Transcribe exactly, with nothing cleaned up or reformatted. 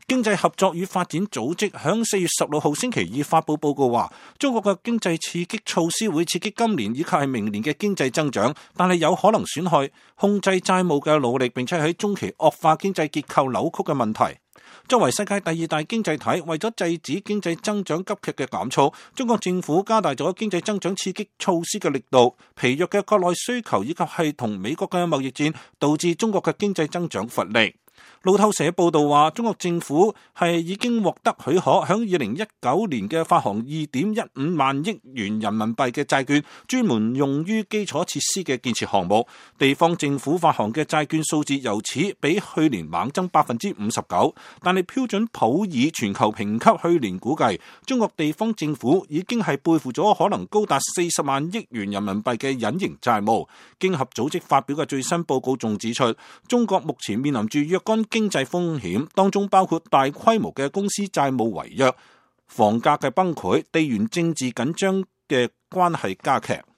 經濟合作與發展組織響四月十六號星期二發佈報告話，中國嘅經濟刺激措施會刺激今年以及係明年嘅經濟增長，但係有可能損害控制債務嘅努力，並且喺中期惡化經濟結構扭曲嘅問題。作為世界第二大經濟體，為咗制止經濟增長急劇嘅減速，中國政府加大咗經濟增長刺激措施嘅力度。疲弱嘅國內需求以及係同美國嘅貿易戰，導致中國嘅經濟增長乏力。路透社報道話，中國政府係已經獲得許可，響二零一九年嘅發行二點一五萬億元人民幣嘅債券，專門用於基礎設施嘅建設項目。地方政府發行嘅債券數字由此比去年猛增百分之五十九。但係標準普爾全球評級去年估計，中國地方政府已經係背負咗可能高達四十萬億元人民幣嘅隱形債務。經合組織發表嘅最新報告仲指出，中國目前面臨住若干經濟風險，當中包括大規模嘅公司債務違約、房價嘅崩潰、地緣政治緊張嘅關係加劇。